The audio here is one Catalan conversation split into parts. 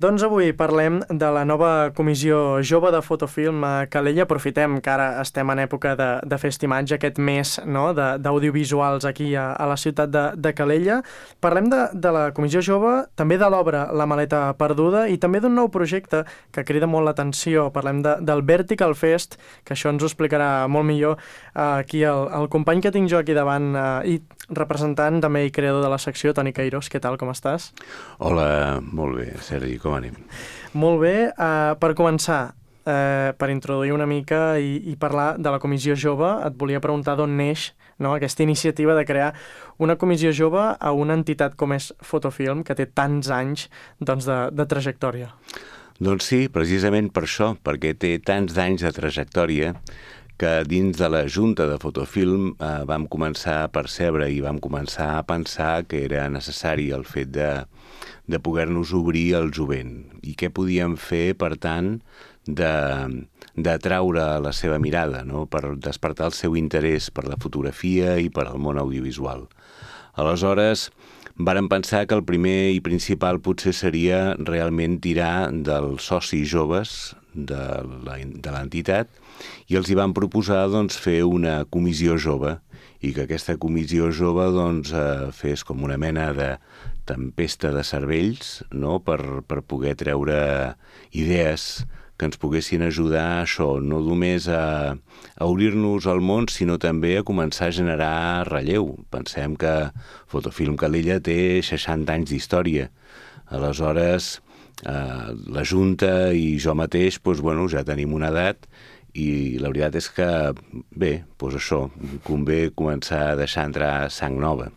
Doncs avui parlem de la nova comissió jove de fotofilm a Calella. Aprofitem que ara estem en època de festimatge, aquest mes, no?, d'audiovisuals aquí a la ciutat de Calella. Parlem de la comissió jove, també de l'obra La maleta perduda i també d'un nou projecte que crida molt l'atenció. Parlem del Vertical Fest, que això ens ho explicarà molt millor aquí el company que tinc jo aquí davant i representant també i creador de la secció, Toni Queiroz. Què tal, com estàs? Hola, molt bé, Sergi, com anem? Molt bé. Per començar, per introduir una mica i parlar de la comissió jove, et volia preguntar d'on neix, no?, aquesta iniciativa de crear una comissió jove a una entitat com és Fotofilm, que té tants anys de trajectòria. Doncs sí, precisament per això, perquè té tants anys de trajectòria que dins de la Junta de Fotofilm vam començar a percebre i vam començar a pensar que era necessari el fet de poder-nos obrir al jovent i què podíem fer, per tant, d'atraure la seva mirada, no?, per despertar el seu interès per la fotografia i per al món audiovisual. Aleshores, vàrem pensar que el primer i principal potser seria realment tirar dels socis joves de l'entitat i els hi van proposar fer una comissió jove i que aquesta comissió jove fes com una mena de tempesta de cervells, no?, per poder treure idees que ens poguessin ajudar a això, no només a obrir-nos al món, sinó també a començar a generar relleu. Pensem que Fotofilm Calella té 60 anys d'història. Aleshores, la Junta i jo mateix ja tenim una edat i la veritat és que, bé, això, convé començar a deixar entrar sang nova.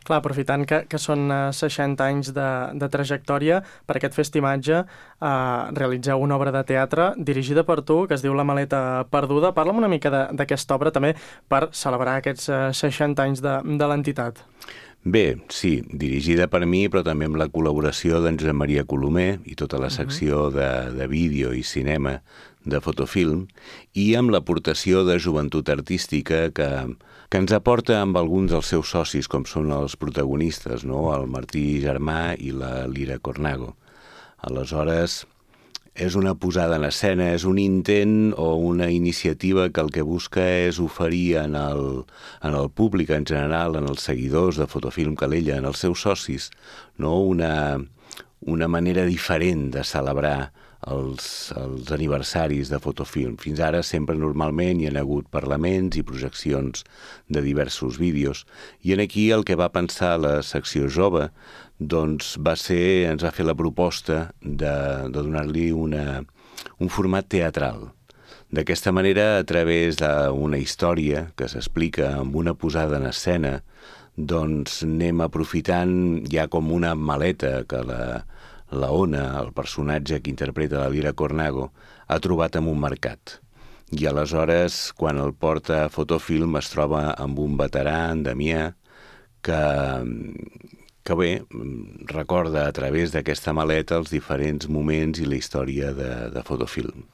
Clar, aprofitant que són 60 anys de trajectòria, per aquest festimatge realitzeu una obra de teatre dirigida per tu, que es diu La maleta perduda. Parla'm una mica d'aquesta obra també per celebrar aquests 60 anys de l'entitat. Bé, sí, dirigida per mi, però també amb la col·laboració d'en Josep Maria Colomer i tota la secció de vídeo i cinema de Fotofilm i amb l'aportació de joventut artística que ens aporta amb alguns dels seus socis, com són els protagonistes, no?, el Martí Germà i la Lira Cornago. Aleshores, és una posada en escena, és un intent o una iniciativa que el que busca és oferir en el públic en general, en els seguidors de Fotofilm Calella, en els seus socis, no?, una manera diferent de celebrar els aniversaris de Fotofilm. Fins ara sempre normalment hi ha hagut parlaments i projeccions de diversos vídeos. I aquí el que va pensar la secció jove ens va fer la proposta de donar-li un format teatral. D'aquesta manera, a través d'una història que s'explica amb una posada en escena, anem aprofitant ja com una maleta que la Ona, el personatge que interpreta la Lira Cornago, ha trobat en un mercat. I aleshores, quan el porta a Fotofilm, es troba amb un veterà, en Damià, que bé, recorda a través d'aquesta maleta els diferents moments i la història de Fotofilm.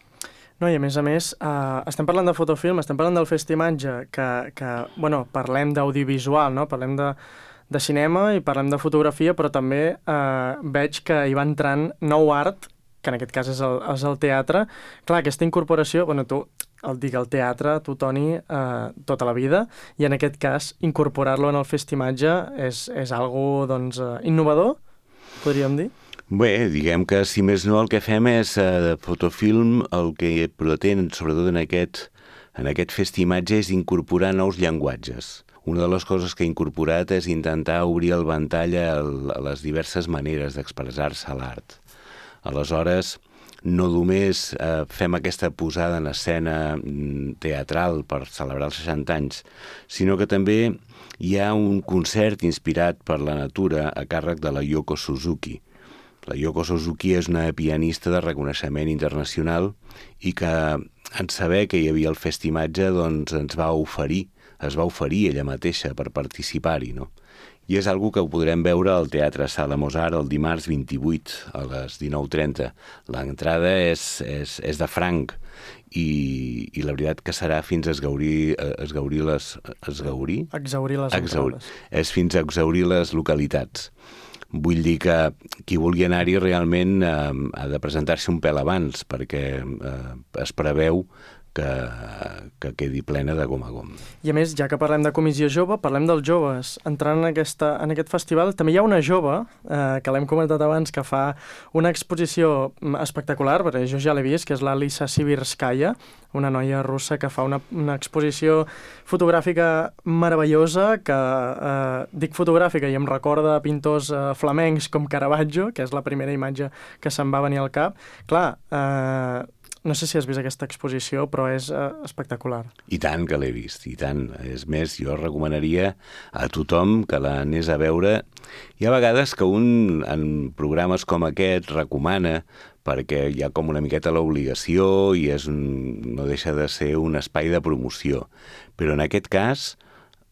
No, i a més, estem parlant de Fotofilm, estem parlant del festimatge, que parlem d'audiovisual, no? Parlem de cinema i parlem de fotografia, però també veig que hi va entrant nou art, que en aquest cas és el teatre. Clar, aquesta incorporació, el teatre, tu, Toni, tota la vida, i en aquest cas incorporar-lo en el festimatge és algo, innovador, podríem dir? Bé, diguem que, si més no, el que fem és Fotofilm, el que pretén, sobretot en aquest festimatge, és incorporar nous llenguatges. Una de les coses que he incorporat és intentar obrir el ventall a les diverses maneres d'expressar-se a l'art. Aleshores, no només fem aquesta posada en escena teatral per celebrar els 60 anys, sinó que també hi ha un concert inspirat per la natura a càrrec de la Yoko Suzuki. La Yoko Suzuki és una pianista de reconeixement internacional i que, en saber que hi havia el festimatge, es va oferir ella mateixa per participar-hi, no? I és algo que ho podrem veure al Teatre Sala Mozart el dimarts 28 a les 19:30. L'entrada és de franc i la veritat que serà fins a exhaurir les localitats. Vull dir que qui vulgui anar-hi realment ha de presentar-se un pèl abans, perquè es preveu que quedi plena de gom a gom. I a més, ja que parlem de comissió jove, parlem dels joves. Entrant en aquest festival, també hi ha una jove, que l'hem comentat abans, que fa una exposició espectacular, perquè jo ja l'he vist, que és l'Alisa Sibirskaya, una noia russa que fa una exposició fotogràfica meravellosa, que dic fotogràfica i em recorda pintors flamencs com Caravaggio, que és la primera imatge que se'm va venir al cap. Clar, no sé si has vist aquesta exposició, però és espectacular. I tant que l'he vist, i tant. És més, jo recomanaria a tothom que l'anés a veure. Hi ha vegades que un, en programes com aquest, recomana, perquè hi ha com una miqueta l'obligació i no deixa de ser un espai de promoció. Però en aquest cas,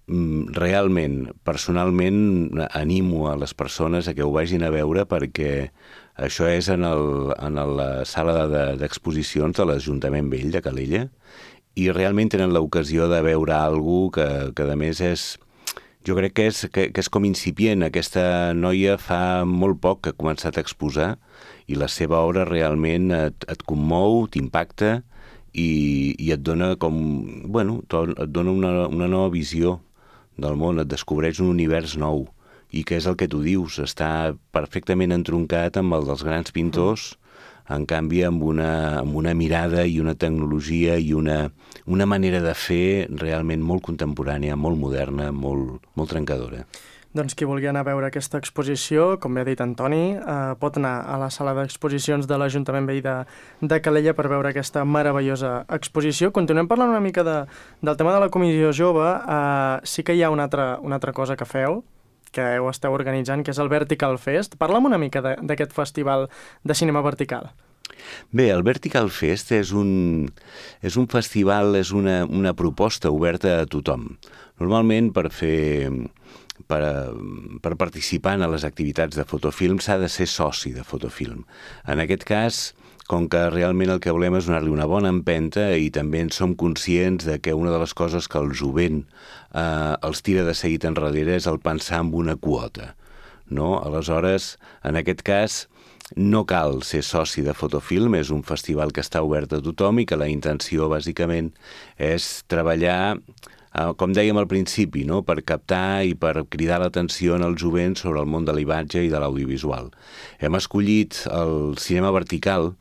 realment, personalment, animo a les persones a que ho vagin a veure perquè això és en la sala d'exposicions de l'Ajuntament Vell de Calella i realment tenen l'ocasió de veure alguna que a més jo crec que és com incipient. Aquesta noia fa molt poc que ha començat a exposar i la seva obra realment et commou, t'impacta i et dona et dona una nova visió del món, et descobreix un univers nou. I què és el que tu dius? Està perfectament entroncat amb el dels grans pintors, en canvi amb una mirada i una tecnologia i una manera de fer realment molt contemporània, molt moderna, molt trencadora. Doncs qui vulgui anar a veure aquesta exposició, com bé ha dit Antoni, pot anar a la sala d'exposicions de l'Ajuntament Vell de Calella per veure aquesta meravellosa exposició. Continuem parlant una mica del tema de la comissió jove. Sí que hi ha una altra cosa que feu, que ho esteu organitzant, que és el Vertical Fest. Parla'm una mica d'aquest festival de cinema vertical. Bé, el Vertical Fest és un festival, és una proposta oberta a tothom. Normalment per participar en les activitats de fotofilm s'ha de ser soci de fotofilm. En aquest cas, com que realment el que volem és donar-li una bona empenta i també en som conscients de que una de les coses que el jovent els tira de seguit enrere és el pensar en una quota, no? Aleshores, en aquest cas, no cal ser soci de fotofilm, és un festival que està obert a tothom i que la intenció, bàsicament, és treballar, com dèiem al principi, no? Per captar i per cridar l'atenció en el jovent sobre el món de l'imatge i de l'audiovisual. Hem escollit el cinema vertical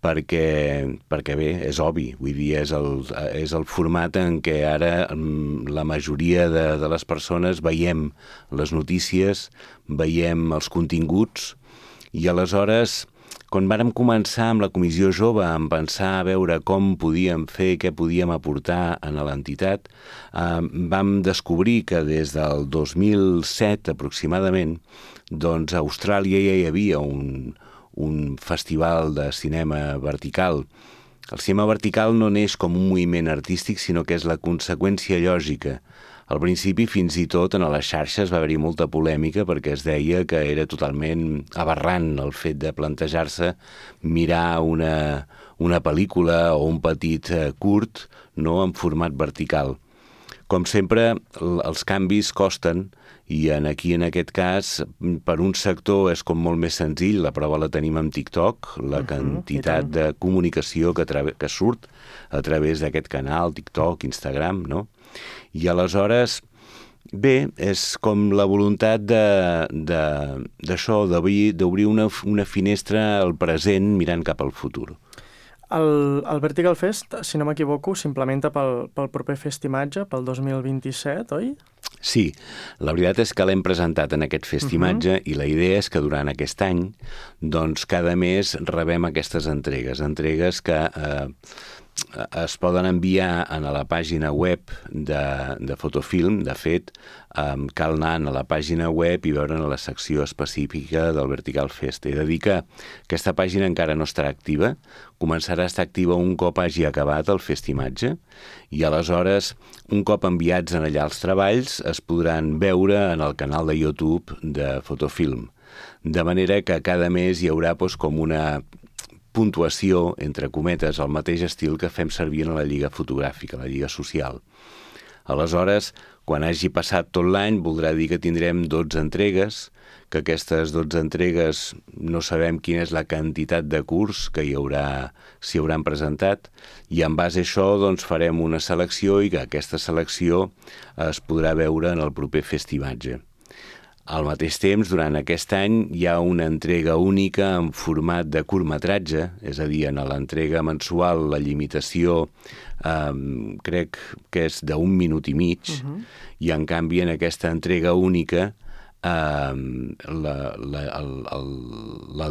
perquè bé, és obvi, vull dir, és el format en què ara la majoria de les persones veiem les notícies, veiem els continguts, i aleshores, quan vàrem començar amb la Comissió Jove a pensar a veure com podíem fer, què podíem aportar a l'entitat, vam descobrir que des del 2007 aproximadament, doncs a Austràlia ja hi havia un festival de cinema vertical. El cinema vertical no neix com un moviment artístic, sinó que és la conseqüència lògica. Al principi, fins i tot, en les xarxes va haver-hi molta polèmica perquè es deia que era totalment aberrant el fet de plantejar-se mirar una pel·lícula o un petit curt, no, en format vertical. Com sempre, els canvis costen i aquí, en aquest cas, per un sector és com molt més senzill, la prova la tenim amb TikTok, la quantitat de comunicació que surt a través d'aquest canal, TikTok, Instagram, no? I aleshores, bé, és com la voluntat d'això, d'obrir una finestra al present mirant cap al futur. El Vertical Fest, si no m'equivoco, s'implementa pel proper Festimatge, pel 2027, oi? Sí, la veritat és que l'hem presentat en aquest Festimatge i la idea és que durant aquest any, doncs cada mes rebem aquestes entregues que es poden enviar a la pàgina web de Fotofilm. De fet, cal anar a la pàgina web i veure la secció específica del Vertical Fest. He de dir que aquesta pàgina encara no estarà activa, començarà a estar activa un cop hagi acabat el Festimatge i aleshores, un cop enviats en allà els treballs, es podran veure en el canal de YouTube de Fotofilm. De manera que cada mes hi haurà com una puntuació, entre cometes, al mateix estil que fem servir en la Lliga Fotogràfica, la Lliga Social. Aleshores, quan hagi passat tot l'any, voldrà dir que tindrem 12 entregues, que aquestes 12 entregues no sabem quina és la quantitat de curs que s'hi hauran presentat, i en base a això doncs, farem una selecció i que aquesta selecció es podrà veure en el proper festimatge. Al mateix temps, durant aquest any, hi ha una entrega única en format de curtmetratge, és a dir, en l'entrega mensual la limitació crec que és d'1 minut i mig, i en canvi en aquesta entrega única la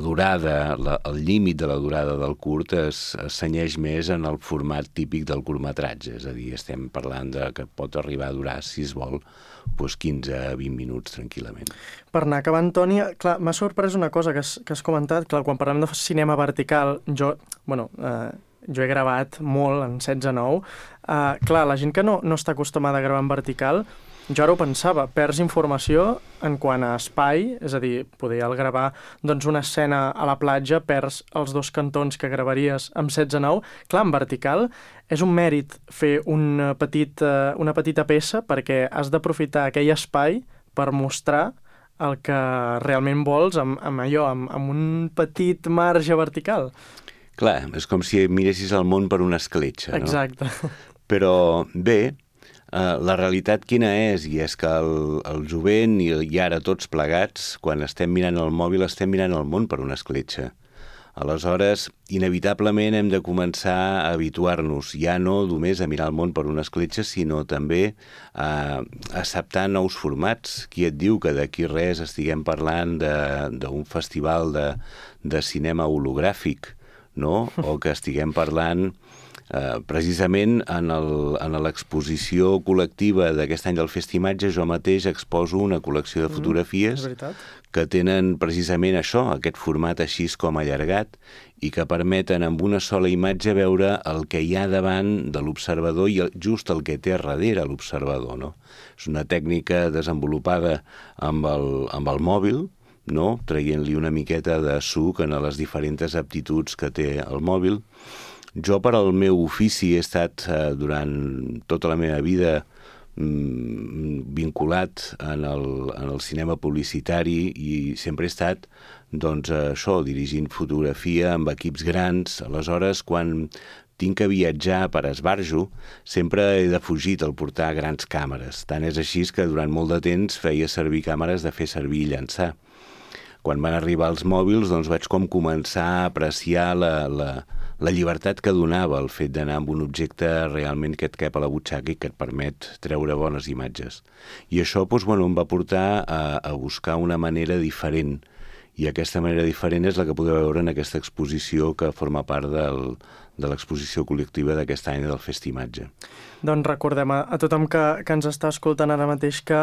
durada, el límit de la durada del curt es cenyeix més en el format típic del curtmetratge, és a dir, estem parlant que pot arribar a durar, si es vol, 15 a 20 minuts tranquil·lament. Per anar acabant, Toni, clar, m'ha sorprès una cosa que has comentat, clar, quan parlem de cinema vertical, jo he gravat molt en 16:9, clar, la gent que no està acostumada a gravar en vertical, jo ara ho pensava, perds informació en quant a espai, és a dir, poder al gravar una escena a la platja, perds els 2 cantons que gravaries amb 16:9. Clar, en vertical és un mèrit fer una petita peça perquè has d'aprofitar aquell espai per mostrar el que realment vols amb un petit marge vertical. Clar, és com si miressis el món per una escletxa, no? Exacte. Però bé, la realitat quina és? I és que el jovent i ara tots plegats, quan estem mirant el mòbil, estem mirant el món per una escletxa. Aleshores, inevitablement hem de començar a habituar-nos, ja no només a mirar el món per una escletxa, sinó també a acceptar nous formats. Qui et diu que d'aquí res estiguem parlant d'un festival de cinema hologràfic, no? O que estiguem parlant precisament en l'exposició col·lectiva d'aquest any del Festimatge, jo mateix exposo una col·lecció de fotografies que tenen precisament això, aquest format així com allargat, i que permeten amb una sola imatge veure el que hi ha davant de l'observador i just el que té darrere l'observador, no? És una tècnica desenvolupada amb el mòbil, no? Traient-li una miqueta de suc en les diferents aptituds que té el mòbil. Jo, per al meu ofici, he estat durant tota la meva vida vinculat en el cinema publicitari i sempre he estat, dirigint fotografia amb equips grans. Aleshores, quan tinc que viatjar per esbarjo, sempre he defugit el portar grans càmeres. Tant és així que durant molt de temps feia servir càmeres de fer servir i llançar. Quan van arribar els mòbils, vaig començar a apreciar la llibertat que donava el fet d'anar amb un objecte realment que et cap a la butxaca i que et permet treure bones imatges. I això em va portar a buscar una manera diferent. I aquesta manera diferent és la que podeu veure en aquesta exposició que forma part de l'exposició col·lectiva d'aquest any del Festimatge. Doncs recordem a tothom que ens està escoltant ara mateix que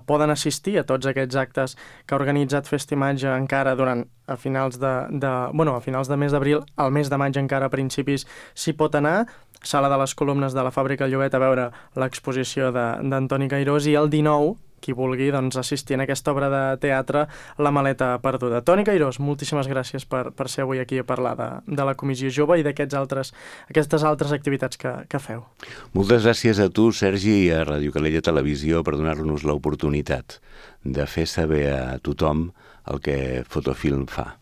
poden assistir a tots aquests actes que ha organitzat Festimatge encara a finals de mes d'abril, al mes de maig encara a principis s'hi pot anar. Sala de les Columnes de la Fàbrica Llobet a veure l'exposició d'Antoni Cairós, i el 19, qui vulgui assistir en aquesta obra de teatre, La maleta perduda. Toni Cairós, moltíssimes gràcies per ser avui aquí a parlar de la Comissió Jove i d'aquestes altres activitats que feu. Moltes gràcies a tu, Sergi, i a Ràdio Calella Televisió per donar-nos l'oportunitat de fer saber a tothom el que Fotofilm fa.